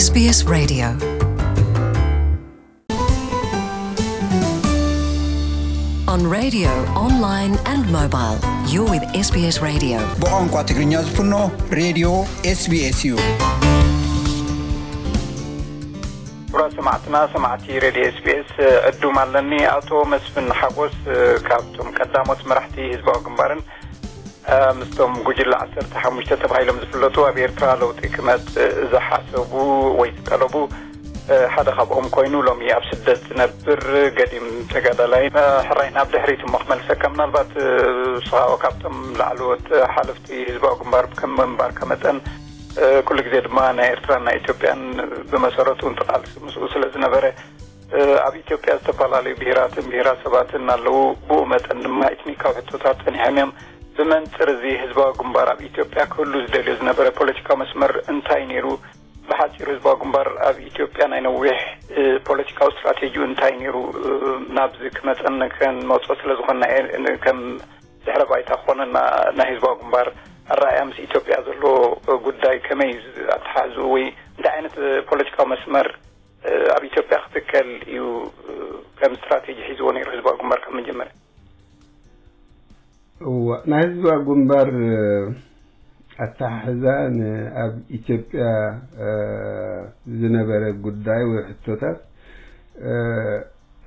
S B S Radio. On radio, online and mobile, you're with S B S Radio. ብቋንቋ ትግርኛ ዝፍኖ ሬድዮ S B S እዩ። ክቡራት ሰማዕትና፣ ሰማዕቲ ሬድዮ S B S፣ ዕዱም ኣለኒ። ኣቶ መስፍን ሓጎስ፣ ካብቶም ቀዳሞት መራሕቲ ህዝባዊ ግንባርን ምስቶም ጉጅለ ዓሰርተ ሓሙሽተ ተባሂሎም ዝፍለጡ፣ ኣብ ኤርትራ ለውጢ ክመጽእ ዝሓሰቡ ወይ ዝጠለቡ ሓደ ካብኦም ኮይኑ፣ ሎሚ ኣብ ስደት ዝነብር ገዲም ተጋዳላይ። ሕራይ፣ ናብ ድሕሪት እሞ ክመልሰካ፣ ምናልባት ንስኻ ካብቶም ላዕለዎት ሓለፍቲ ህዝባዊ ግንባር ከም ምንባርካ መጠን፣ ኩሉ ግዜ ድማ ናይ ኤርትራን ናይ ኢትዮጵያን ብመሰረቱ እንተቃልሲ ምስኡ ስለ ዝነበረ፣ ኣብ ኢትዮጵያ ዝተፈላለዩ ብሄራትን ብሄራሰባትን ኣለዉ። ብኡ መጠን ድማ ኤትኒካዊ ሕቶታት ጸኒሖም እዮም። ብመንጽር እዚ ህዝባዊ ግንባር ኣብ ኢትዮጵያ ክህሉ ዝደልዮ ዝነበረ ፖለቲካዊ መስመር እንታይ ነይሩ? ብሓጺሩ ህዝባዊ ግንባር ኣብ ኢትዮጵያ ናይ ነዊሕ ፖለቲካዊ ስትራቴጂኡ እንታይ ነይሩ? ናብዚ ክመጸን ከንመጾ ስለ ዝኾንና እየ፣ ከም ድሕረ ባይታ ክኾነና ናይ ህዝባዊ ግንባር ኣረኣእያ ምስ ኢትዮጵያ ዘሎ ጉዳይ ከመይ ኣተሓሕዝኡ ወይ እንታይ ዓይነት ፖለቲካዊ መስመር ኣብ ኢትዮጵያ ክትከል እዩ ከም ስትራቴጂ ሒዝዎ ነይሩ ህዝባዊ ግንባር ካብ መጀመርያ? እዋ፣ ናይ ህዝባዊ ግንባር ኣተሓሕዛ ን-፣ ኣብ ኢትዮጵያ ዝነበረ ጉዳይ ወይ ሕቶታት፣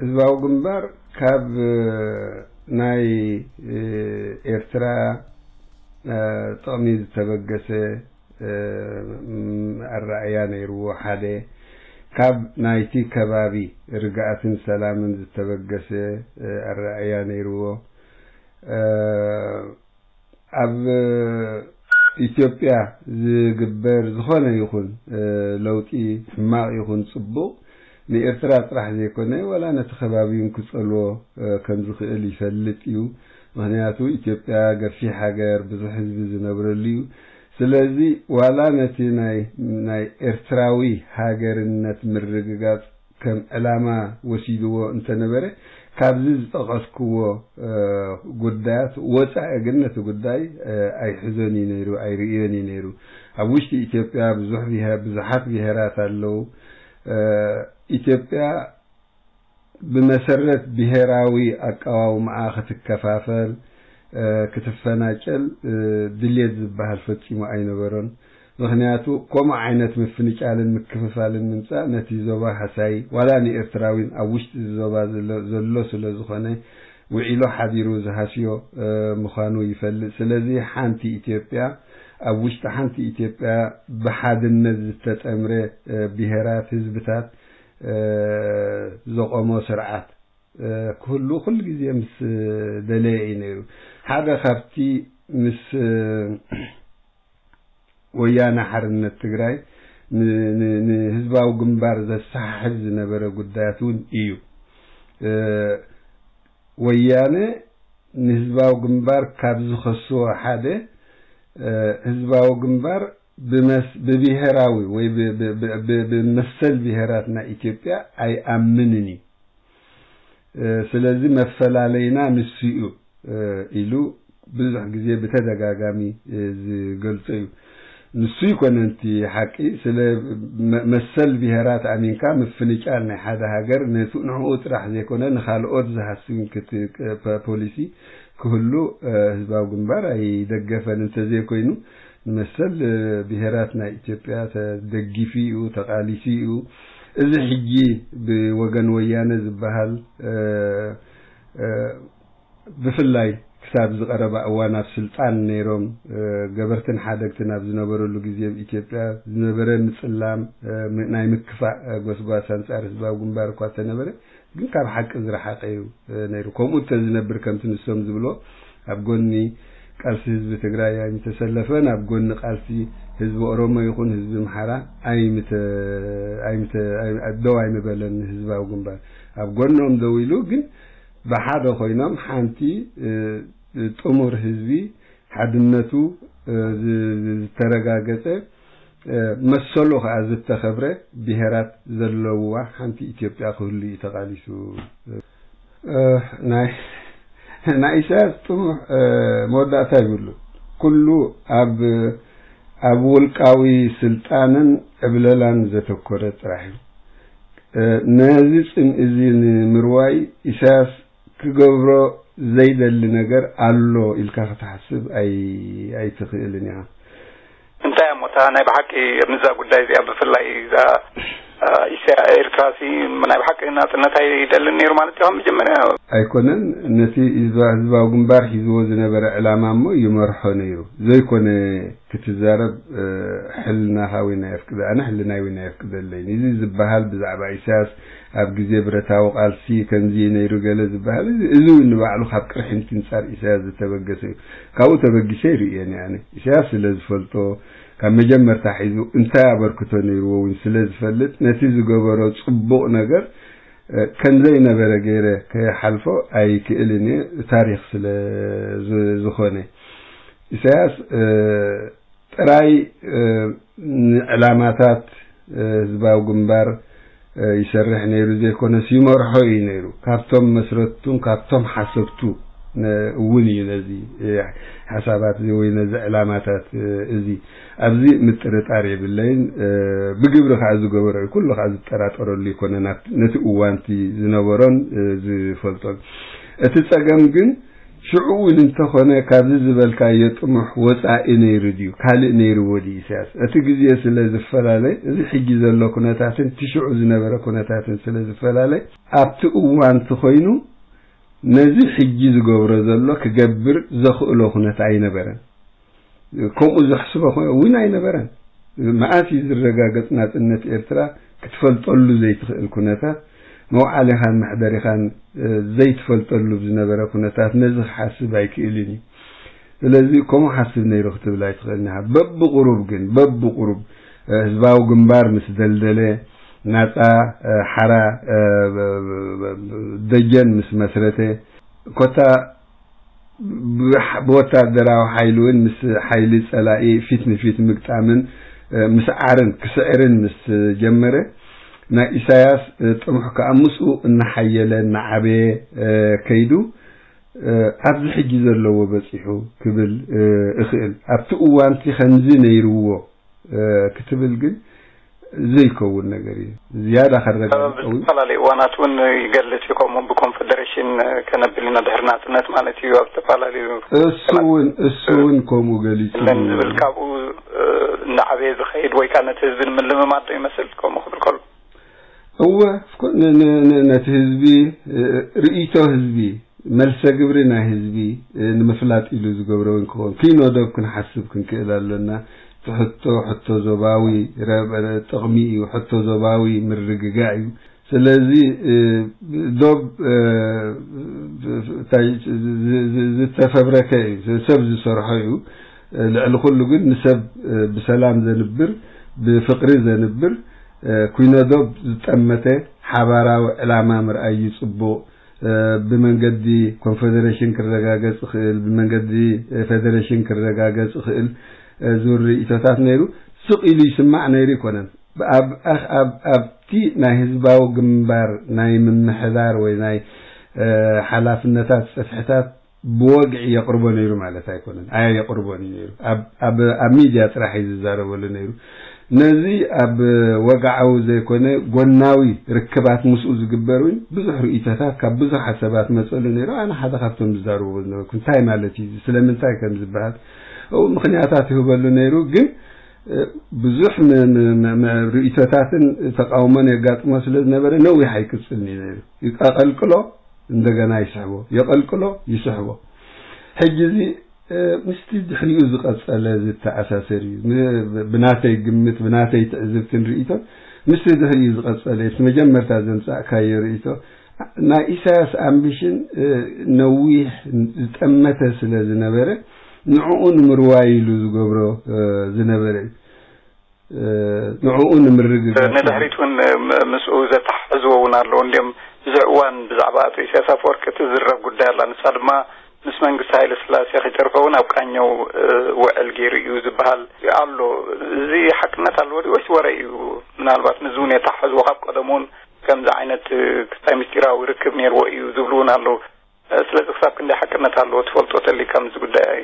ህዝባዊ ግንባር ካብ ናይ ኤርትራ ጥቕሚ ዝተበገሰ ኣረኣእያ ነይርዎ። ሓደ፣ ካብ ናይቲ ከባቢ ርግኣትን ሰላምን ዝተበገሰ ኣረኣእያ ነይርዎ። ኣብ ኢትዮጵያ ዝግበር ዝኾነ ይኹን ለውጢ፣ ሕማቕ ይኹን ጽቡቕ፣ ንኤርትራ ጥራሕ ዘይኮነ፣ ዋላ ነቲ ከባቢ እውን ክጸልዎ ከም ዝኽእል ይፈልጥ እዩ። ምኽንያቱ፣ ኢትዮጵያ ገፊሕ ሃገር፣ ብዙሕ ህዝቢ ዝነብረሉ እዩ። ስለዚ፣ ዋላ ነቲ ናይ፣ ናይ ኤርትራዊ ሃገርነት ምርግጋጽ ከም ዕላማ ወሲድዎ እንተነበረ፣ ካብዚ ዝጠቐስክዎ ጉዳያት ወጻኢ ግን ነቲ ጉዳይ ኣይሕዞን እዩ ነይሩ፣ ኣይርእዮን እዩ ነይሩ። ኣብ ውሽጢ ኢትዮጵያ ብዙሕ ብሄ-፣ ብዙሓት ብሄራት ኣለዉ። ኢትዮጵያ ብመሰረት ብሄራዊ ኣቀዋውማኣ ክትከፋፈል፣ ክትፈናጨል ድልየት ዝበሃል ፈጺሙ ኣይነበሮን። ምኽንያቱ፣ ከምኡ ዓይነት ምፍንጫልን ምክፍፋልን ምምጻእ ነቲ ዞባ ሃሳዪ፣ ዋላ ንኤርትራዊን ኣብ ውሽጢ እዚ ዞባ ዘሎ፣ ዘሎ ስለ ዝኾነ፣ ውዒሉ ሓዲሩ ዝሃስዮ ምዃኑ ይፈልጥ። ስለዚ፣ ሓንቲ ኢትዮጵያ፣ ኣብ ውሽጢ ሓንቲ ኢትዮጵያ ብሓድነት ዝተጠምረ ብሄራት፣ ህዝብታት ዘቆሞ ስርዓት ክህሉ ኩሉ ግዜ ምስ ደለየ እዩ ነይሩ። ሓደ ካብቲ ምስ ወያነ ሓርነት ትግራይ ን-፣ ን-፣ ንህዝባዊ ግንባር ዘሰሓሕብ ዝነበረ ጉዳያት እውን እዩ። ወያነ ንህዝባዊ ግንባር ካብ ዝኸስዎ ሓደ፣ ህዝባዊ ግንባር ብመስ-፣ ብብሄራዊ ወይ ብ-፣ ብ-፣ ብ-፣ ብ-፣ ብመሰል ብሄራት ናይ ኢትዮጵያ ኣይኣምንን እዩ። ስለዚ መፈላለይና ንሱ እዩ ኢሉ ብዙሕ ግዜ ብተደጋጋሚ ዝገልጾ እዩ። ንሱ ይኮነ እቲ ሓቂ፣ ስለ መ-፣ መሰል ብሄራት ኣሚንካ ምፍንጫል ናይ ሓደ ሃገር ነቱ-፣ ንዕኡ ጥራሕ ዘይኮነ ንኻልኦት ዝሃስብ ክት-፣ ፖ-፣ ፖሊሲ ክህሉ ህዝባዊ ግንባር ኣይደገፈን። እንተዘይኮይኑ ንመሰል ብሄራት ናይ ኢትዮጵያ ተደጊፉ እዩ፣ ተቓሊሱ እዩ። እዚ ሕጂ ብወገን ወያነ ዝበሃል፣ ብፍላይ ክሳብ ዝቐረባ እዋን ኣብ ስልጣን ነይሮም፣ ገበርትን ሓደግትን ኣብ ዝነበረሉ ግዜ ኣብ ኢትዮጵያ ዝነበረ ምጽላም፣ ናይ ምክፋእ ጎስጓስ ኣንጻር ህዝባዊ ግንባር እኳ እንተነበረ፣ ግን ካብ ሓቂ ዝረሓቐ እዩ ነይሩ። ከምኡ እንተዝነብር፣ ከምቲ ንሶም ዝብሎ፣ ኣብ ጎኒ ቃልሲ ህዝቢ ትግራይ ኣይምተሰለፈን፣ ኣብ ጎኒ ቃልሲ ህዝቢ ኦሮሞ ይኹን ህዝቢ ኣምሓራ ኣይምተ-፣ ኣይምተ-፣ ኣይ-፣ ደው ኣይምበለን ህዝባዊ ግንባር። ኣብ ጎኖም ደው ኢሉ፣ ግን ብሓደ ኮይኖም ሓንቲ ጥሙር ህዝቢ ሓድነቱ ዝ-፣ ዝ-፣ ዝተረጋገጸ፣ መሰሉ ከኣ ዝተኸብረ ብሄራት ዘለውዋ ሓንቲ ኢትዮጵያ ክህሉ እዩ ተቓሊሱ። ናይ፣ ናይ ኢሳያስ ጥሙሕ መወዳእታ ይብሉ። ኩሉ ኣብ ኣብ ውልቃዊ ስልጣንን ዕብለላን ዘተኮረ ጥራሕ እዩ። ነዚ ጽምኢ እዚ ንምርዋይ ኢሳያስ ክገብሮ ዘይደሊ ነገር ኣሎ ኢልካ ክትሓስብ ኣይትኽእልን ኢኻ። እንታይ እሞ እታ ናይ ብሓቂ ምስዛ ጉዳይ እዚኣ ብፍላይ እዛ ኢስያ ኤርትራሲ ናይ ብሓቂ ናጽነት ኣይደልን ነይሩ ማለት እዩ? መጀመርያ ኣይኮነን። ነቲ ህዝባዊ ግንባር ሒዝዎ ዝነበረ ዕላማ እሞ ይመርሖ ነይሩ ዘይኮነ ክትዛረብ ሕልናኻ እውን ኣየፍቅደ ኣነ ሕልናይ እውን ኣየፍቅደለይን። እዚ ዝበሃል ብዛዕባ ኢሳያስ ኣብ ግዜ ብረታዊ ቃልሲ ከምዚ ነይሩ ገለ ዝበሃል እዚ እውን ንባዕሉ ካብ ቅርሕንቲ ንጻር ኢሳያስ ዝተበገሰ እዩ። ካብኡ ተበጊሰ ይርእየኒ ኣነ። ኢሳያስ ስለ ዝፈልጦ ካብ መጀመርታ ሒዙ እንታይ ኣበርክቶ ነይርዎ እውን ስለ ዝፈልጥ ነቲ ዝገበሮ ጽቡቕ ነገር ከምዘይነበረ ገይረ ከይሓልፎ ኣይክእልን እየ። ታሪኽ ስለ ዝኾነ ኢሳያስ ጥራይ ንዕላማታት ህዝባዊ ግንባር ይሰርሕ ነይሩ ዘይኮነስ ይመርሖ እዩ ነይሩ። ካብቶም መስረትቱን ካብቶም ሓሰብቱ እውን እዩ ነዚ ሓሳባት ወይ ነዚ ዕላማታት እዚ ኣብዚ ምጥርጣር የብለይን። ብግብሪ ከዓ ዝገበሮ እዩ። ኩሉ ከዓ ዝጠራጠረሉ ይኮነ ነቲ እዋንቲ ዝነበሮን ዝፈልጦን። እቲ ፀገም ግን ሽዑ እውን እንተኾነ ካብዚ ዝበልካዮ ጥሙሕ ወፃኢ ነይሩ ድዩ ካልእ ነይርዎ ድዩ ኢሳያስ? እቲ ግዜ ስለ ዝፈላለ እዚ ሕጂ ዘሎ ኩነታትን እቲ ሽዑ ዝነበረ ኩነታትን ስለ ዝፈላለ ኣብቲ እዋንቲ ኮይኑ ነዚ ሕጂ ዝገብሮ ዘሎ ክገብር ዘኽእሎ ኩነት ኣይነበረን። ከምኡ ዘሕስቦ እውን ኣይነበረን። መኣስ እዩ ዝረጋገጽ ናጽነት ኤርትራ ክትፈልጠሉ ዘይትኽእል ኩነታት መውዓሊኻን መሕደሪኻን ዘይትፈልጠሉ ዝነበረ ኩነታት ነዚ ክሓስብ ኣይክእልን እዩ። ስለዚ ከምኡ ሓስብ ነይሩ ክትብል ኣይትኽእልን ኢኻ። በብቁሩብ ግን በብቁሩብ ህዝባዊ ግንባር ምስ ደልደለ ናጻ ሓራ ደጀን ምስ መስረተ ኮታ ብወታደራዊ ሓይሊ እውን ምስ ሓይሊ ጸላኢ ፊት ንፊት ምግጣምን ምስዓርን ክስዕርን ምስ ጀመረ ናይ ኢሳያስ ጥሙሕ ከዓ ምስኡ እናሓየለ እናዓበየ ከይዱ ኣብዚ ሕጂ ዘለዎ በጺሑ ክብል እኽእል። ኣብቲ እዋንቲ ከምዚ ነይርዎ ክትብል ግን ዘይከውን ነገር እዩ። ዝያዳ ከረጋግጸው ዝተፈላለዩ እዋናት እውን ይገልጽ እዩ። ከምኡ ብኮንፈደሬሽን ከነብል ኢና ድሕሪ ናጽነት ማለት እዩ። ኣብ ዝተፈላለዩ እሱ እውን እሱ እውን ከምኡ ገሊጹ ለን ዝብል ካብኡ እናዓበየ ዝኸይድ ወይ ከዓ ነቲ ህዝቢ ንምልምማድ ዶ ይመስል ከምኡ ክብል ከሎ እወ ነቲ ህዝቢ ርእይቶ ህዝቢ መልሰ ግብሪ ናይ ህዝቢ ንምፍላጥ ኢሉ ዝገብሮ እውን ክኸውን ኪኖ ዶብ ክንሓስብ ክንክእል ኣሎና። እቲ ሕቶ ሕቶ ዞባዊ ጥቕሚ እዩ። ሕቶ ዞባዊ ምርግጋእ እዩ። ስለዚ ዶብ ዝተፈብረከ እዩ፣ ሰብ ዝሰርሖ እዩ። ልዕሊ ኩሉ ግን ንሰብ ብሰላም ዘንብር ብፍቕሪ ዘንብር ኩኖ ዶብ ዝጠመተ ሓባራዊ ዕላማ ምርኣይ እዩ ጽቡቕ። ብመንገዲ ኮንፈደሬሽን ክረጋገጽ ይኽእል፣ ብመንገዲ ፌደሬሽን ክረጋገጽ ይኽእል ዝብል ርእይቶታት ነይሩ። ስቕ ኢሉ ይስማዕ ነይሩ ኣይኮነን። ኣብቲ ናይ ህዝባዊ ግንባር ናይ ምምሕዳር ወይ ናይ ሓላፍነታት ጽፍሕታት ብወግዒ የቕርቦ ነይሩ ማለት ኣይኮነን። ኣያ የቕርቦን እዩ ነይሩ። ኣብ ሚድያ ጥራሕ እዩ ዝዛረበሉ ነይሩ። ነዚ ኣብ ወግዓዊ ዘይኮነ ጎናዊ ርክባት ምስኡ ዝግበር እውን ብዙሕ ርእይቶታት ካብ ብዙሓት ሰባት መፀሉ ነይሩ። ኣነ ሓደ ካብቶም ዝዛረብዎ ዝነበርኩ እንታይ ማለት እዩ፣ ስለምንታይ ከም ዝበሃል ምኽንያታት ይህበሉ ነይሩ። ግን ብዙሕ ርእይቶታትን ተቃውሞን የጋጥሞ ስለ ዝነበረ ነዊሕ ኣይቅፅልን እዩ ነይሩ። ይቀልቅሎ እንደገና ይስሕቦ፣ የቐልቅሎ ይስሕቦ። ሕጂ እዚ ምስቲ ድሕሪኡ ዝቐጸለ ዝተኣሳሰር እዩ። ብናተይ ግምት፣ ብናተይ ትዕዝብትን ርእይቶን ምስቲ ድሕሪኡ ዝቐጸለ እቲ መጀመርታ ዘምጻእካዮ ርእይቶ ናይ ኢሳያስ ኣምቢሽን ነዊሕ ዝጠመተ ስለ ዝነበረ ንዕኡ ንምርዋይ ኢሉ ዝገብሮ ዝነበረ እዩ። ንዕኡ ንምርግጋጽ ንድሕሪት እውን ምስኡ ዘተሓሕዝዎ እውን ኣለዉ። እንዲም ብዙሕ እዋን ብዛዕባ ኣቶ ኢሳያስ ኣፈወርቂ እትዝረብ ጉዳይ ኣላ። ንሳ ድማ ምስ መንግስቲ ሃይለ ስላሴ ከይተርፈ እውን ኣብ ቃኘው ውዕል ገይሩ እዩ ዝበሃል ኣሎ። እዚ ሓቅነት ኣለዎ ድዩ ወይስ ወረ እዩ? ምናልባት ምስዚ እውን የተሓሕዝዎ ካብ ቀደም እውን ከምዚ ዓይነት ክስታይ ምስጢራዊ ርክብ ነይርዎ እዩ ዝብሉ እውን ኣለዉ። ስለዚ ክሳብ ክንደይ ሓቅነት ኣለዎ ትፈልጦ ተሊካ ምስዚ ጉዳይ?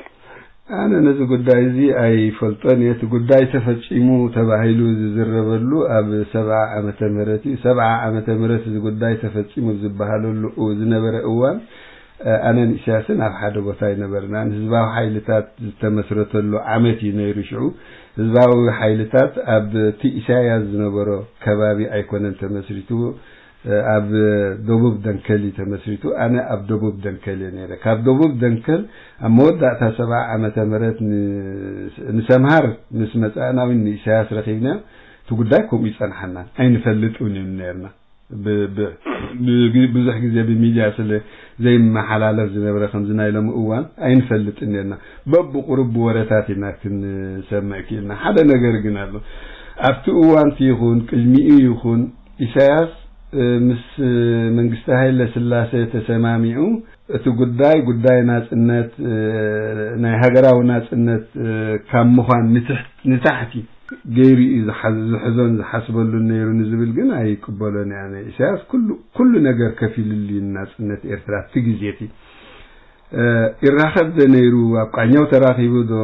ኣነ ነዚ ጉዳይ እዚ ኣይፈልጦን እየ። እቲ ጉዳይ ተፈጺሙ ተባሂሉ ዝዝረበሉ ኣብ ሰብዓ ዓመተ ምህረት እዩ። ሰብዓ ዓመተ ምህረት እዚ ጉዳይ ተፈጺሙ ዝበሃለሉ ዝነበረ እዋን ኣነን ኢሳያስን ኣብ ሓደ ቦታ ኣይነበርናን። ህዝባዊ ሓይልታት ዝተመስረተሉ ዓመት እዩ ነይሩ። ሽዑ ህዝባዊ ሓይልታት ኣብቲ ኢሳያስ ዝነበሮ ከባቢ ኣይኮነን ተመስሪቱ፣ ኣብ ደቡብ ደንከል እዩ ተመስሪቱ። ኣነ ኣብ ደቡብ ደንከል እየ ነይረ። ካብ ደቡብ ደንከል ኣብ መወዳእታ ሰብዓ ዓመተ ምህረት ንሰምሃር ምስ መጻእና እውን ንኢሳያስ ረኺብና እቲ ጉዳይ ከምኡ ይጸንሓና ኣይንፈልጥ እውን ነርና። ብዙሕ ግዜ ብሚድያ ስለ ዘይመሓላለፍ ዝነበረ ከምዚ ናይ ሎሚ እዋን ኣይንፈልጥን ነርና። በብቁሩብ ብወረታት ኢና ክንሰምዕ ክኢልና። ሓደ ነገር ግን ኣሎ። ኣብቲ እዋንቲ ይኹን ቅድሚኡ ይኹን ኢሳያስ ምስ መንግስቲ ሃይለ ስላሴ ተሰማሚዑ እቲ ጉዳይ ጉዳይ ናጽነት ናይ ሃገራዊ ናጽነት ካብ ምዃን ንታሕቲ ገይሩ እዩ ዝሕዞን ዝሓስበሉን ነይሩ ንዝብል ግን ኣይቅበሎን እያ። ኢሳያስ ኩሉ ነገር ከፊልሉ እዩ ናጽነት ኤርትራ እቲ ግዜ እቲ። ይራኸብ ዶ ነይሩ? ኣብ ቃኛው ተራኺቡ ዶ?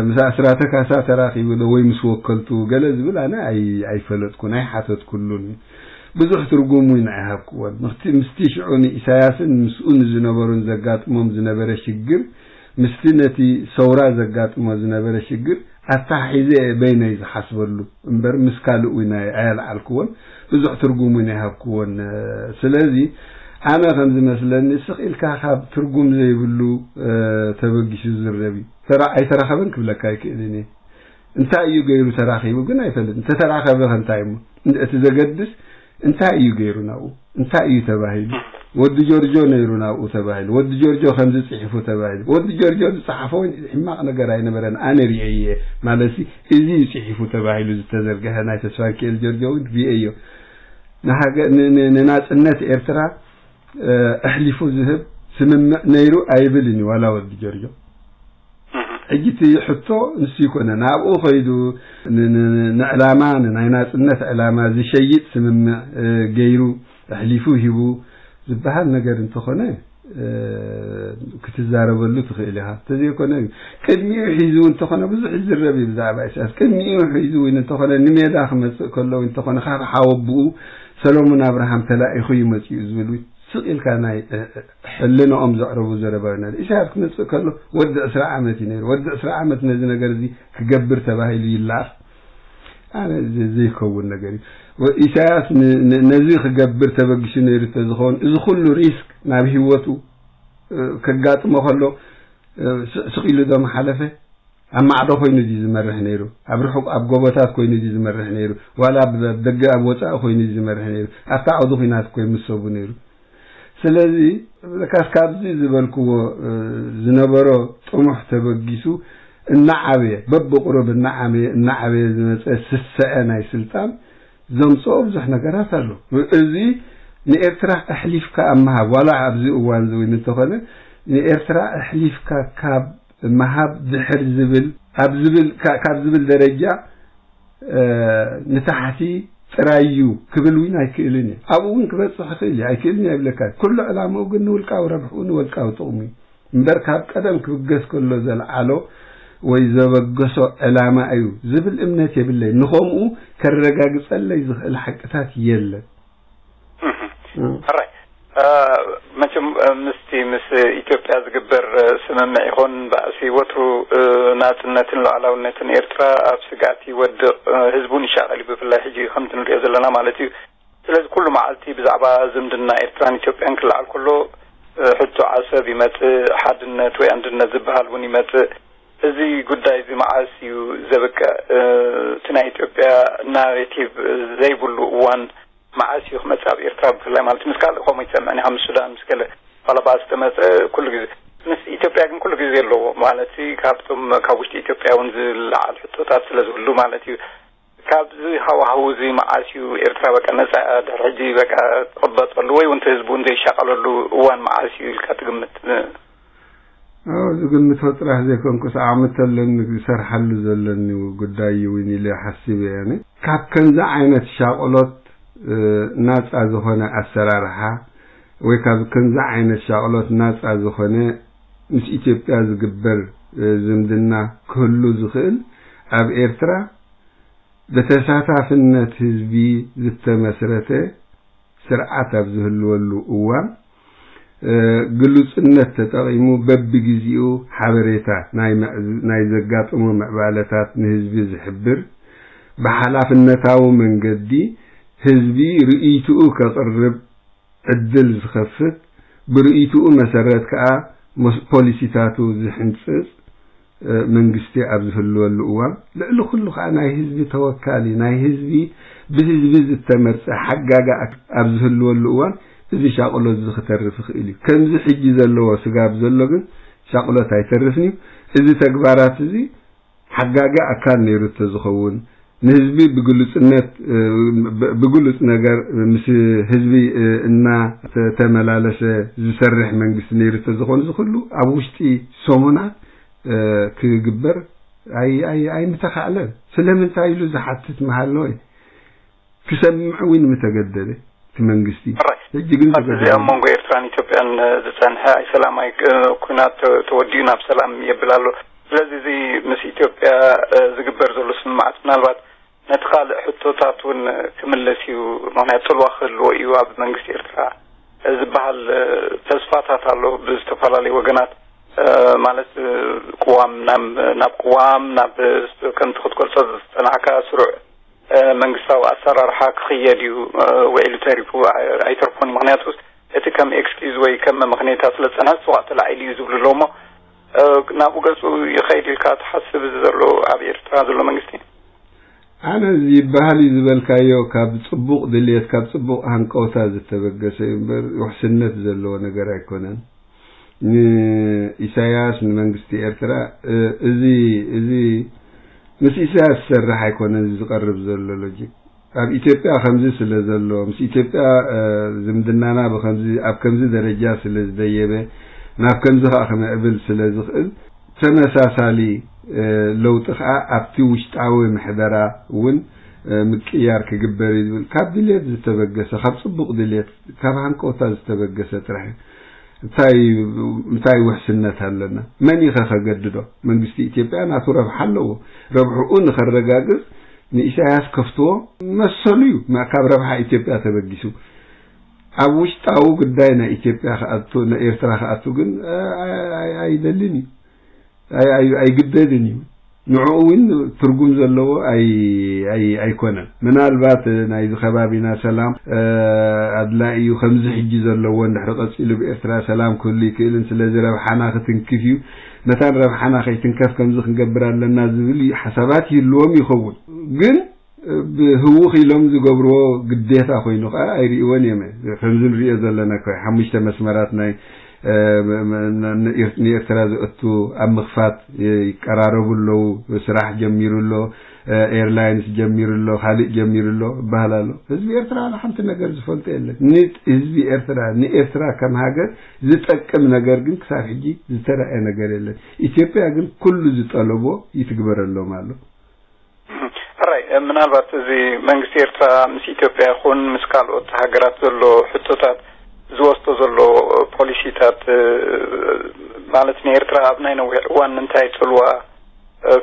ምስ ኣስራተ ካሳ ተራኺቡ ዶ? ወይ ምስ ወከልቱ ገለ ዝብል ኣነ ኣይፈለጥኩን ኣይሓተትኩሉን። ብዙሕ ትርጉም እውን ኣይሃብክዎን። ምስቲ ሽዑ ንኢሳያስን ምስኡ ንዝነበሩን ዘጋጥሞም ዝነበረ ሽግር ምስቲ ነቲ ሰውራ ዘጋጥሞ ዝነበረ ሽግር ኣተሓሒዘ እየ በይነይ ዝሓስበሉ እምበር ምስ ካልእ እውን ኣየልዓልክዎን፣ ብዙሕ ትርጉም እውን ኣይሃብክዎን። ስለዚ ኣነ ከም ዝመስለኒ ስቕ ኢልካ ካብ ትርጉም ዘይብሉ ተበጊሱ ዝዝረብ እዩ። ኣይተራኸበን ክብለካ ኣይክእልን እየ። እንታይ እዩ ገይሩ ተራኺቡ ግን ኣይፈልጥን። እንተተራኸበ ከ እንታይ እሞ እቲ ዘገድስ እንታይ እዩ ገይሩ ናብኡ? እንታይ እዩ ተባሂሉ? ወዲ ጆርጆ ነይሩ ናብኡ ተባሂሉ። ወዲ ጆርጆ ከምዚ ጽሒፉ ተባሂሉ። ወዲ ጆርጆ ዝጸሓፎ ሕማቕ ነገር ኣይነበረን። ኣነ ርእየ እየ። ማለትሲ እዚ እዩ ጽሒፉ ተባሂሉ ዝተዘርግሐ ናይ ተስፋንኪኤል ጆርጆ እውን ርእየዮ። ንናጽነት ኤርትራ ኣሕሊፉ ዝህብ ስምምዕ ነይሩ ኣይብልን እዩ ዋላ ወዲ ጆርጆ። ሕጂ እቲ ሕቶ ንሱ ይኮነ ናብኡ ከይዱ ንዕላማ ንናይ ናጽነት ዕላማ ዝሸይጥ ስምምዕ ገይሩ ኣሕሊፉ ሂቡ ዝበሃል ነገር እንተኾነ ክትዛረበሉ ትኽእል ኢኻ። እንተዘይኮነ ቅድሚኡ ሒዙ እንተኾነ ብዙሕ ይዝረብ እዩ ብዛዕባ ኢሳያስ። ቅድሚኡ ሒዙ እውን እንተኾነ ንሜዳ ክመጽእ ከሎ እውን እንተኾነ ካብ ሓወብኡ ሰሎሞን ኣብርሃም ተላኢኹ እዩ መጺኡ ዝብል እውን ስቕ ኢልካ ናይ ሕልናኦም ዘዕረቡ ዘረባ እዩ። ኢሳያስ ክመጽእ ከሎ ወዲ ዕስራ ዓመት እዩ ነይሩ። ወዲ ዕስራ ዓመት ነዚ ነገር እዚ ክገብር ተባሂሉ ይለኣኽ። ኣነ ዘይከውን ነገር እዩ። ኢሳያስ ነዚ ክገብር ተበጊሱ ነይሩ ተዝኸውን እዚ ኩሉ ሪስክ ናብ ህይወቱ ከጋጥሞ ከሎ ስቕ ኢሉ ዶ ምሓለፈ? ኣብ ማዕዶ ኮይኑ ድዩ ዝመርሕ ነይሩ? ኣብ ርሑቕ ኣብ ጎቦታት ኮይኑ ድዩ ዝመርሕ ነይሩ? ዋላ ኣብ ደገ ኣብ ወጻኢ ኮይኑ ድዩ ዝመርሕ ነይሩ? ኣብታ ዓውዲ ኲናት እኮ ምስ ሰቡ ነይሩ። ስለዚ ለካስ ካብዚ ዝበልክዎ ዝነበሮ ጥሙሕ ተበጊሱ እናዓበየ በብቁሩብ እናዓበየ እናዓበየ ዝመፀ ስሰዐ ናይ ስልጣን ዘምፅኦ ብዙሕ ነገራት ኣሎ። እዚ ንኤርትራ ኣሕሊፍካ ኣብ ምሃብ ዋላ ኣብዚ እዋን ዝውን እንተኾነ ንኤርትራ ኣሕሊፍካ ካብ ምሃብ ድሕር ዝብል ካብ ዝብል ደረጃ ንታሕቲ ጥራይ እዩ ክብል እውን ኣይክእልን እየ። ኣብኡ እውን ክበፅሕ ይኽእል እዩ ኣይክእልን እየ ይብለካ። ኩሉ ዕላምኡ ግን ንውልቃዊ ረብሕኡ ንወልቃዊ ጥቕሙ እዩ እምበር ካብ ቀደም ክብገስ ከሎ ዘልዓሎ ወይ ዘበገሶ ዕላማ እዩ ዝብል እምነት የብለይ። ንኸምኡ ከረጋግፀለይ ዝኽእል ሓቅታት የለን። ሕራይ መቸም ምስቲ ምስ ኢትዮጵያ ዝግበር ስምምዕ ይኹን ባእሲ ወትሩ ናፅነትን ሉዓላውነትን ኤርትራ ኣብ ስግኣት ይወድቕ፣ ህዝቡን ይሻቐል እዩ። ብፍላይ ሕጂ ከምቲ ንሪኦ ዘለና ማለት እዩ። ስለዚ ኩሉ መዓልቲ ብዛዕባ ዝምድና ኤርትራን ኢትዮጵያን ክለዓል ከሎ ሕቶ ዓሰብ ይመፅእ፣ ሓድነት ወይ ኣንድነት ዝበሃል እውን ይመፅእ። እዚ ጉዳይ እዚ መዓስ እዩ ዘብቅዕ? እቲ ናይ ኢትዮጵያ ናሬቲቭ ዘይብሉ እዋን መዓስ እዩ ክመፅእ ኣብ ኤርትራ ብፍላይ ማለት ምስ ካልእ ከምኡ ይሰምዕን ኢኻ ምስ ሱዳን ምስ ገለ ባላባስ ተመፀ ኩሉ ግዜ ምስ ኢትዮጵያ ግን ኩሉ ግዜ ኣለዎ ማለት ካብቶም ካብ ውሽጢ ኢትዮጵያ እውን ዝለዓል ሕቶታት ስለ ዝህሉ ማለት እዩ። ካብዚ ሃዋህው እዚ መዓስ እዩ ኤርትራ በቃ ነፃ ድሕሪ ሕጂ በቃ ትቕበፀሉ ወይ እውን ህዝቡ እውን ዘይሻቐለሉ እዋን መዓስ እዩ ኢልካ ትግምት? ዝግምቶ ጥራሕ ዘይኮንኩስ ዓቕሚ ተለኒ ዝሰርሓሉ ዘለኒ ጉዳይ እውን ኢለ ሓሲበ እየ። ካብ ከምዚ ዓይነት ሻቕሎት ናፃ ዝኾነ ኣሰራርሓ ወይ ካብ ከምዚ ዓይነት ሻቕሎት ናፃ ዝኾነ ምስ ኢትዮጵያ ዝግበር ዝምድና ክህሉ ዝኽእል ኣብ ኤርትራ ብተሳታፍነት ህዝቢ ዝተመስረተ ስርዓት ኣብ ዝህልወሉ እዋን፣ ግሉጽነት ተጠቒሙ በብግዜኡ ሓበሬታ ናይ ዘጋጥሙ ምዕባለታት ንህዝቢ ዝሕብር፣ ብሓላፍነታዊ መንገዲ ህዝቢ ርእይትኡ ከቕርብ ዕድል ዝኸፍት፣ ብርእይትኡ መሰረት ከኣ ፖሊሲታቱ ዝሕንጽጽ መንግስቲ ኣብ ዝህልወሉ እዋን፣ ልዕሊ ኩሉ ከኣ ናይ ህዝቢ ተወካሊ፣ ናይ ህዝቢ ብህዝቢ ዝተመርጸ ሓጋጋ ኣብ ዝህልወሉ እዋን፣ እዚ ሻቕሎት እዚ ክተርፍ ይኽእል እዩ። ከምዚ ሕጂ ዘለዎ ስጋብ ዘሎ ግን ሻቕሎት ኣይተርፍን እዩ። እዚ ተግባራት እዚ ሓጋጊ ኣካል ነይሩ ተዝኸውን፣ ንህዝቢ ብግሉጽነት ብግሉጽ ነገር ምስ ህዝቢ እናተመላለሰ ዝሰርሕ መንግስቲ ነይሩ ተዝኾን፣ እዚ ኩሉ ኣብ ውሽጢ ሰሙናት ክግበር ኣይምተኻእለን። ስለምንታይ ኢሉ ዝሓትት ምሃሎ ክሰምዕ እውን ምተገደደ እቲ መንግስቲ። ሕጂ ግን ኣብ እዚ ኣብ መንጎ ኤርትራን ኢትዮጵያን ዝጸንሐ ኣይሰላማይ ኩናት ተወዲኡ ናብ ሰላም የብል ኣሎ። ስለዚ እዚ ምስ ኢትዮጵያ ዝግበር ዘሎ ስምምዓት ምናልባት ነቲ ካልእ ሕቶታት እውን ክምልስ እዩ። ምኽንያት ጽልዋ ክህልዎ እዩ ኣብ መንግስቲ ኤርትራ ዝበሃል ተስፋታት ኣሎ ብዝተፈላለዩ ወገናት። ማለት ቅዋም ናብ ቅዋም ናብ ከምቲ ክትገልጾ ዝጸናዕካ ስሩዕ መንግስታዊ ኣሰራርሓ ክኽየድ እዩ። ውዒሉ ተሪፉ ኣይተርፎን። ምኽንያቱ እቲ ከም ኤክስኪዝ ወይ ከም መመኽነይታ ስለ ዝጸንሐ ጽዋዕ ተላዒሉ እዩ ዝብሉ ኣለዉ እሞ ናብኡ ገጹ ይኸይድ ኢልካ ትሓስብ? እዚ ዘሎ ኣብ ኤርትራ ዘሎ መንግስቲ ኣነ እዚ ይበሃል እዩ ዝበልካዮ ካብ ጽቡቕ ድልየት ካብ ጽቡቕ ሃንቀውታ ዝተበገሰ እዩ እምበር ውሕስነት ዘለዎ ነገር ኣይኮነን። ንኢሳያስ ንመንግስቲ ኤርትራ እዚ እዚ ምስ ኢሳያስ ዝሰርሕ ኣይኮነን እዚ ዝቀርብ ዘሎ ሎጂክ። ኣብ ኢትዮጵያ ከምዚ ስለ ዘሎ ምስ ኢትዮጵያ ዝምድናና ብከምዚ ኣብ ከምዚ ደረጃ ስለ ዝደየበ ናብ ከምዚ ከዓ ክምዕብል ስለ ዝኽእል ተመሳሳሊ ለውጢ ከዓ ኣብቲ ውሽጣዊ ምሕደራ እውን ምቅያር ክግበር እዩ ዝብል ካብ ድልየት ዝተበገሰ ካብ ፅቡቅ ድልየት ካብ ሃንቀውታ ዝተበገሰ ጥራሕ እዩ። እንታይ እንታይ ውሕስነት ኣለና? መን ኢኸ ከገድዶ? መንግስቲ ኢትዮጵያ ናቱ ረብሓ ኣለዎ። ረብሕኡ ንኸረጋግፅ ንኢሳያስ ከፍትዎ መሰሉ እዩ። ካብ ረብሓ ኢትዮጵያ ተበጊሱ ኣብ ውሽጣዊ ጉዳይ ናይ ኢትዮጵያ ክኣቱ ናይ ኤርትራ ክኣቱ ግን ኣይደልን እዩ። ኣይግደድን እዩ። ንዕኡ እውን ትርጉም ዘለዎ ኣይኮነን። ምናልባት ናይዚ ከባቢና ሰላም ኣድላይ እዩ። ከምዚ ሕጂ ዘለዎ እንድሕሪ ቀፂሉ ብኤርትራ ሰላም ክህሉ ይክእልን ስለዚ ረብሓና ክትንክፍ እዩ። መታን ረብሓና ከይትንከፍ ከምዚ ክንገብር ኣለና ዝብል ሓሳባት ይህልዎም ይኸውን ግን ብህውኽ ኢሎም ዝገብርዎ ግዴታ ኮይኑ ከዓ ኣይርእይዎን እዮም። ከምዚ ንሪኦ ዘለና እኮ ሓሙሽተ መስመራት ናይ ንኤርትራ ዘእቱ ኣብ ምኽፋት ይቀራረቡ ኣለዉ። ስራሕ ጀሚሩ ኣሎ፣ ኤርላይንስ ጀሚሩ ኣሎ፣ ካልእ ጀሚሩ ኣሎ ይበሃል ኣሎ። ህዝቢ ኤርትራ ዋላ ሓንቲ ነገር ዝፈልጦ የለን። ንህዝቢ ኤርትራ ንኤርትራ ከም ሃገር ዝጠቅም ነገር ግን ክሳብ ሕጂ ዝተረኣየ ነገር የለን። ኢትዮጵያ ግን ኩሉ ዝጠለቦ ይትግበረሎም ኣሎ። ሕራይ ምናልባት እዚ መንግስቲ ኤርትራ ምስ ኢትዮጵያ ይኹን ምስ ካልኦት ሃገራት ዘሎ ሕቶታት ዝወስዶ ዘሎ ፖሊሲታት ማለት ንኤርትራ ኣብ ናይ ነዊሕ እዋን እንታይ ጽልዋ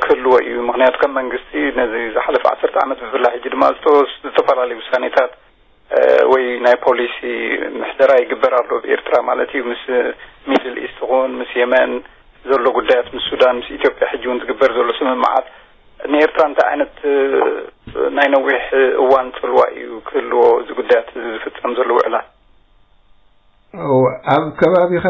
ክህልዎ እዩ? ምክንያቱ ከም መንግስቲ ነዚ ዝሓለፈ ዓሰርተ ዓመት ብፍላይ ሕጂ ድማ ዝተወስ ዝተፈላለዩ ውሳኔታት ወይ ናይ ፖሊሲ ምሕደራ ይግበር ኣሎ ብኤርትራ ማለት እዩ ምስ ሚድል ኢስት ኹን ምስ የመን ዘሎ ጉዳያት ምስ ሱዳን ምስ ኢትዮጵያ ሕጂ እውን ዝግበር ዘሎ ስምምዓት ንኤርትራ እንታይ ዓይነት ናይ ነዊሕ እዋን ጽልዋ እዩ ክህልዎ እዚ ጉዳያት እዚ ዝፍጸም ዘሎ ውዕላት? ኣብ ከባቢኻ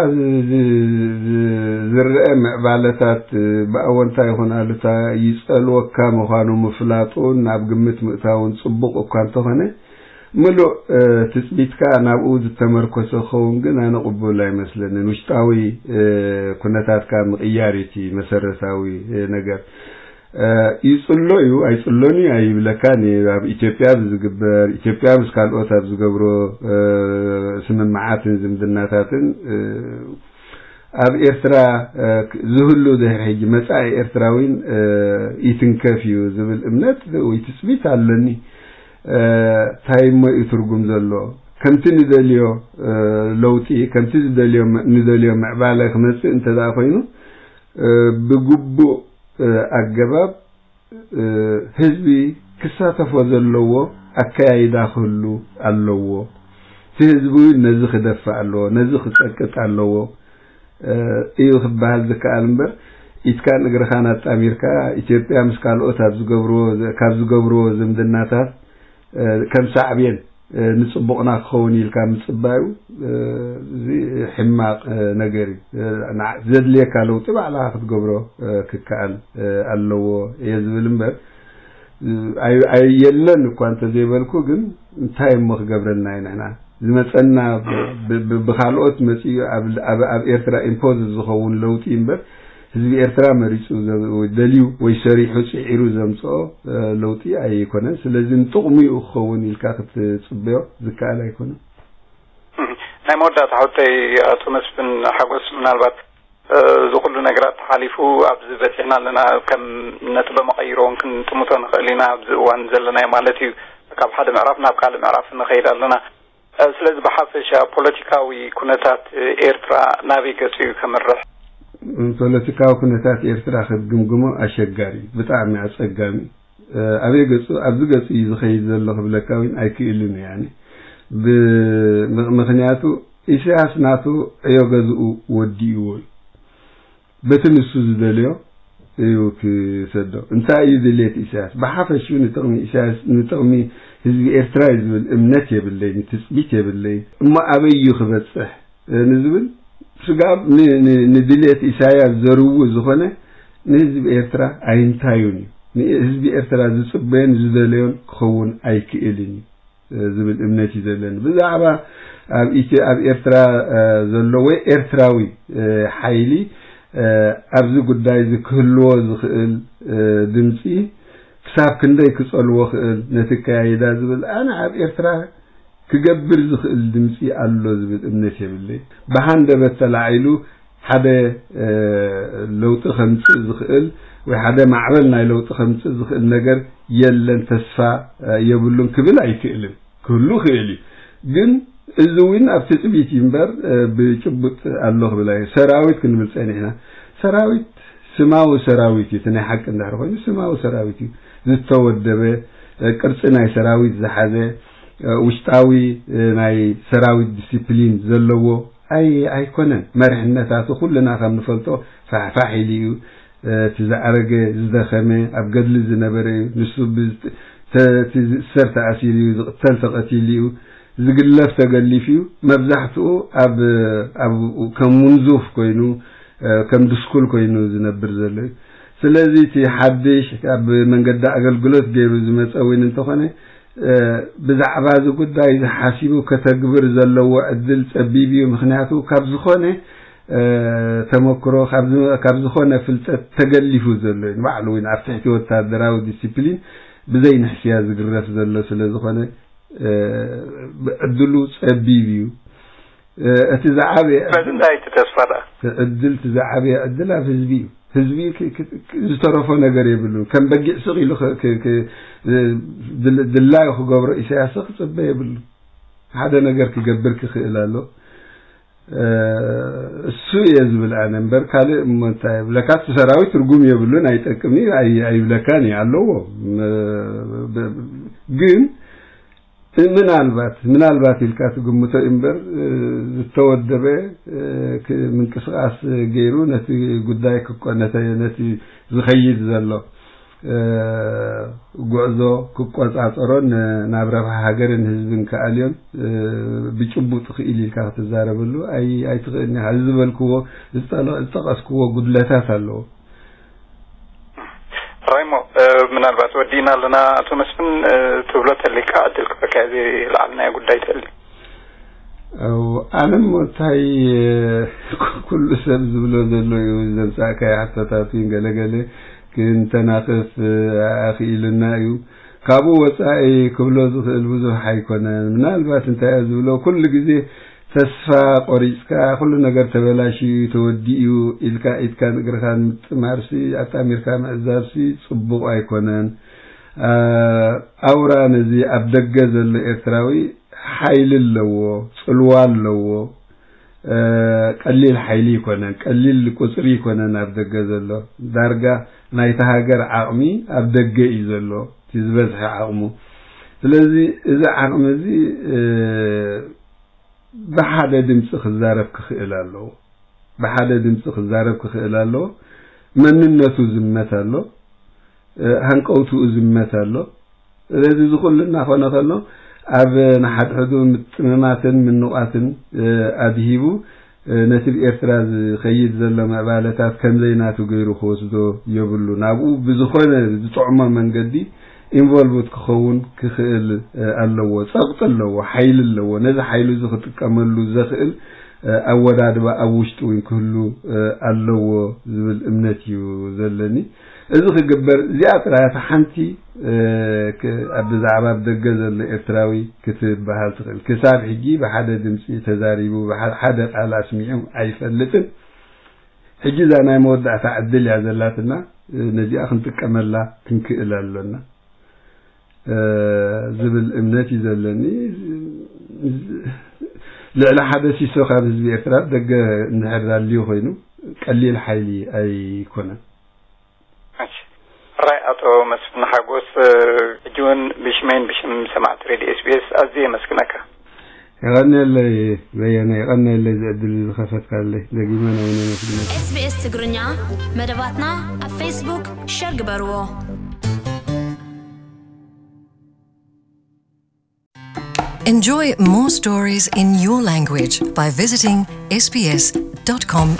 ዝረአ ምዕባለታት ብኣወንታ ይኹን ኣሉታ ይጸልወካ ምዃኑ ምፍላጡን ናብ ግምት ምእታውን ጽቡቕ እኳ እንተኾነ ምሉእ ትጽቢትካ ናብኡ ዝተመርኮሰ ክኸውን ግን ኣነ ቅቡል ኣይመስለንን። ውሽጣዊ ኩነታትካ ምቕያር እዩ እቲ መሰረታዊ ነገር። ይጽሎ እዩ ኣይጽሎን እዩ ኣይብለካን እየ። ኣብ ኢትዮጵያ ብዝግበር ኢትዮጵያ ምስ ካልኦት ኣብ ዝገብሮ ስምምዓትን ዝምድናታትን ኣብ ኤርትራ ዝህሉ ድሕሪ ሕጂ መጻኢ ኤርትራዊን ይትንከፍ እዩ ዝብል እምነት ወይ ትጽቢት ኣለኒ። እንታይ እሞ እዩ ትርጉም ዘሎ? ከምቲ ንደልዮ ለውጢ ከምቲ ዝደልዮ ንደልዮ ምዕባለ ክመጽእ እንተ ደኣ ኮይኑ ብግቡእ ኣገባብ ህዝቢ ክሳተፎ ዘለዎ ኣከያይዳ ክህሉ ኣለዎ። እቲ ህዝቢ እውን ነዚ ክደፍእ ኣለዎ፣ ነዚ ክጸቅጥ ኣለዎ እዩ ክበሃል ዝከኣል እምበር፣ ኢትካን እግርኻን ኣጣሚርካ ኢትዮጵያ ምስ ካልኦት ኣብ ዝገብርዎ፣ ካብ ዝገብርዎ ዝምድናታት ከም ሳዕቤን ንጽቡቕና ክኸውን ኢልካ ምጽባዩ፣ እዚ ሕማቕ ነገር እዩ። ዘድልየካ ለውጢ ባዕልኻ ክትገብሮ ክከኣል ኣለዎ እየ ዝብል እምበር፣ የለን እኳ እንተዘይበልኩ፣ ግን እንታይ እሞ ክገብረልና እዩ? ንሕና ዝመጸና ብካልኦት መጺኡ ኣብ ኤርትራ ኢምፖዝ ዝኸውን ለውጢ እምበር፣ ህዝቢ ኤርትራ መሪጹ ደልዩ ወይ ሰሪሑ ጽዒሩ ዘምጽኦ ለውጢ ኣይኮነን። ስለዚ ንጥቕሙ እዩ ክኸውን ኢልካ ክትጽበዮ ዝከኣል ኣይኮነን። ናይ መወዳእታ ሕቶይ፣ ኣቶ መስፍን ሓጎስ፣ ምናልባት እዚ ኩሉ ነገራት ተሓሊፉ ኣብዚ በጺሕና ኣለና፣ ከም ነጥበ መቐይሮ እውን ክንጥምቶ ንኽእል ኢና ኣብዚ እዋን ዘለናዮ ማለት እዩ። ካብ ሓደ ምዕራፍ ናብ ካልእ ምዕራፍ ንኸይድ ኣለና። ስለዚ ብሓፈሻ ፖለቲካዊ ኩነታት ኤርትራ ናበይ ገጹ እዩ ከምርሕ? ፖለቲካዊ ኩነታት ኤርትራ ክትግምግሞ ኣሸጋሪ፣ ብጣዕሚ ኣጸጋሚ። ኣበይ ገጹ፣ ኣብዚ ገጹ እዩ ዝኸይድ ዘሎ ክብለካ እውን ኣይክእልን እየ። ያኒ ምኽንያቱ ኢሳያስ ናቱ ዕዮ ገዝኡ ወዲእዎ እዩ። በቲ ንሱ ዝደልዮ እዩ ክሰዶ። እንታይ እዩ ድሌት ኢሳያስ? ብሓፈሽኡ ንጥቕሚ ኢሳያስ፣ ንጥቕሚ ህዝቢ ኤርትራ እዩ ዝብል እምነት የብለይን፣ ትጽቢት የብለይን። እሞ ኣበይ እዩ ክበጽሕ ንዝብል ስጋብ ንድሌት ኢሳያስ ዘርዊ ዝኾነ ንህዝቢ ኤርትራ ኣይንታዩን እዩ። ንህዝቢ ኤርትራ ዝጽበዮን ዝደለዮን ክኸውን ኣይክእልን እዩ ዝብል እምነት እዩ ዘለኒ። ብዛዕባ ኣብ ኢትዮ ኣብ ኤርትራ ዘሎ ወይ ኤርትራዊ ሓይሊ ኣብዚ ጉዳይ እዚ ክህልዎ ዝኽእል ድምፂ ክሳብ ክንደይ ክጸልዎ ክእል ነቲ ኣከያይዳ ዝብል ኣነ ኣብ ኤርትራ ክገብር ዝኽእል ድምፂ ኣሎ ዝብል እምነት የብለይ። ብሃንደበት ተላዒሉ ሓደ ለውጢ ከምፅእ ዝኽእል ወይ ሓደ ማዕበል ናይ ለውጢ ከምፅእ ዝኽእል ነገር የለን፣ ተስፋ የብሉን ክብል ኣይክእልን። ክህሉ ክእል እዩ፣ ግን እዚ እውን ኣብ ትፅቢት እዩ እምበር ብጭቡጥ ኣሎ ክብል ኣየ። ሰራዊት ክንብል ፀኒሕና። ሰራዊት ስማዊ ሰራዊት እዩ። እቲ ናይ ሓቂ እንድሕር ኮይኑ ስማዊ ሰራዊት እዩ። ዝተወደበ ቅርፂ ናይ ሰራዊት ዝሓዘ ውሽጣዊ ናይ ሰራዊት ዲሲፕሊን ዘለዎ ኣይኮነን። መሪሕነታቱ ኩልና ከም ንፈልጦ ፋሕፋሕ ኢሉ እዩ። እቲ ዝዓረገ ዝደኸመ ኣብ ገድሊ ዝነበረ እዩ። ንሱ እቲ ዝእሰር ተኣሲሩ እዩ፣ ዝቕተል ተቐቲሉ እዩ፣ ዝግለፍ ተገሊፉ እዩ። መብዛሕትኡ ኣብ ከም ሙንዙፍ ኮይኑ ከም ድስኩል ኮይኑ ዝነብር ዘሎ እዩ። ስለዚ እቲ ሓድሽ ኣብ መንገዲ ኣገልግሎት ገይሩ ዝመፀ እውን እንተኾነ ብዛዕባ እዚ ጉዳይ እዚ ሓሲቡ ከተግብር ዘለዎ ዕድል ፀቢብ እዩ። ምኽንያቱ ካብ ዝኾነ ተመክሮ ካብ ዝኾነ ፍልጠት ተገሊፉ ዘሎ እዩ። ንባዕሉ እውን ኣብ ትሕቲ ወታደራዊ ዲሲፕሊን ብዘይ ንሕስያ ዝግረፍ ዘሎ ስለ ዝኾነ ዕድሉ ፀቢብ እዩ። እቲ ዝዓበየ ስለዚ እንታይ እቲ ተስፋ ደኣ? ዕድል እቲ ዝዓበየ ዕድል ኣብ ህዝቢ እዩ። ህዝቢ ዝተረፎ ነገር የብሉን። ከም በጊዕ ስቕ ኢሉ ድላዩ ክገብሮ ኢሳያስ ክፅበ የብሉ። ሓደ ነገር ክገብር ክኽእል ኣሎ። እሱ እየ ዝብል ኣነ እምበር ካልእ እሞ እንታይ የብለካ። እቲ ሰራዊት ትርጉም የብሉን፣ ኣይጠቅም እዩ፣ ኣይብለካን እዩ። ኣለዎ ግን ምናልባት ምናልባት ኢልካ ትግምቶ እምበር ዝተወደበ ምንቅስቃስ ገይሩ ነቲ ጉዳይ ነቲ ዝኸይድ ዘሎ ጉዕዞ ክቆፃፀሮን ናብ ረብሓ ሃገርን ህዝብን ክኣልዮን ብጭቡጥ ክኢል ኢልካ ክትዛረበሉ ኣይትኽእልን ኢኻ። እዚ ዝበልክዎ ዝጠቀስክዎ ጉድለታት ኣለዎ። ራይሞ፣ ምናልባት ወዲእና ኣለና። ኣቶ መስፍን፣ ትብሎ ተሊካ ዕድል ክበካ እዚ ለዓልናዮ ጉዳይ ተሊ ኣለም እንታይ ኩሉ ሰብ ዝብሎ ዘሎ እዩ። ዘምፃእካዮ ሕቶታት ገለገለ ክንተናኽፍ ኣኽኢሉና እዩ። ካብኡ ወፃኢ ክብሎ ዝኽእል ብዙሕ ኣይኮነን። ምናልባት እንታይ እየ ዝብሎ፣ ኩሉ ግዜ ተስፋ ቆሪፅካ ኩሉ ነገር ተበላሽዩ ተወዲኡ ኢልካ ኢድካን እግርኻን ምጥማርሲ ኣጣሚርካ ምዕዛብሲ ፅቡቕ ኣይኮነን። ኣውራ ነዚ ኣብ ደገ ዘሎ ኤርትራዊ ሓይሊ ኣለዎ፣ ፅልዋ ኣለዎ። ቀሊል ሓይሊ ይኮነን፣ ቀሊል ቁፅሪ ይኮነን ኣብ ደገ ዘሎ። ዳርጋ ናይታ ሃገር ዓቕሚ ኣብ ደገ እዩ ዘሎ፣ እቲ ዝበዝሐ ዓቕሙ። ስለዚ እዚ ዓቕሚ እዚ ብሓደ ድምፂ ክዛረብ ክኽእል ኣለዎ። ብሓደ ድምፂ ክዛረብ ክኽእል ኣለዎ። መንነቱ ዝመት ኣሎ፣ ሃንቀውትኡ ዝመት ኣሎ። ስለዚ እዚ ኩሉ እናኾነ ከሎ ኣብ ንሓድሕዱ ምጥምማትን ምንቋትን ኣድሂቡ ነቲ ብኤርትራ ዝኸይድ ዘሎ ምዕባለታት ከምዘይናቱ ገይሩ ክወስዶ የብሉን። ኣብኡ ብዝኾነ ዝጥዕሞ መንገዲ ኢንቮልቭድ ክኸውን ክኽእል ኣለዎ። ጸቕጢ ኣለዎ፣ ሓይሊ ኣለዎ። ነዚ ሓይሊ እዚ ክጥቀመሉ ዘኽእል ኣወዳድባ ኣብ ውሽጡ እውን ክህሉ ኣለዎ ዝብል እምነት እዩ ዘለኒ። እዚ ክግበር እዚኣ ጥራይ እታ ሓንቲ ኣብ ብዛዕባ ኣብ ደገ ዘሎ ኤርትራዊ ክትበሃል ትኽእል። ክሳብ ሕጂ ብሓደ ድምፂ ተዛሪቡ ብሓደ ቃል ኣስሚዑ ኣይፈልጥን። ሕጂ እዛ ናይ መወዳእታ ዕድል እያ ዘላትና፣ ነዚኣ ክንጥቀመላ ክንክእል ኣሎና ዝብል እምነት እዩ ዘለኒ። ልዕሊ ሓደ ሲሶ ካብ ህዝቢ ኤርትራ ደገ እንድሕር ኣልዩ ኮይኑ ቀሊል ሓይሊ ኣይኮነን። ሕራይ ኣቶ መስፍን ሓጎስ፣ ሕጂ እውን ብሽመይን ብሽም ሰማዕቲ ሬድዮ ኤስቢኤስ ኣዝየ የመስግነካ። የቐንየለይ በየነ፣ የቐንየለይ እዚ ዕድል እዚ ዝኸፈትካለይ። ደጊመ ናይ ነመስግነካ። ኤስቢኤስ ትግርኛ መደባትና ኣብ ፌስቡክ ሸር ግበርዎ። Enjoy more stories in your language by visiting sbs.com.au.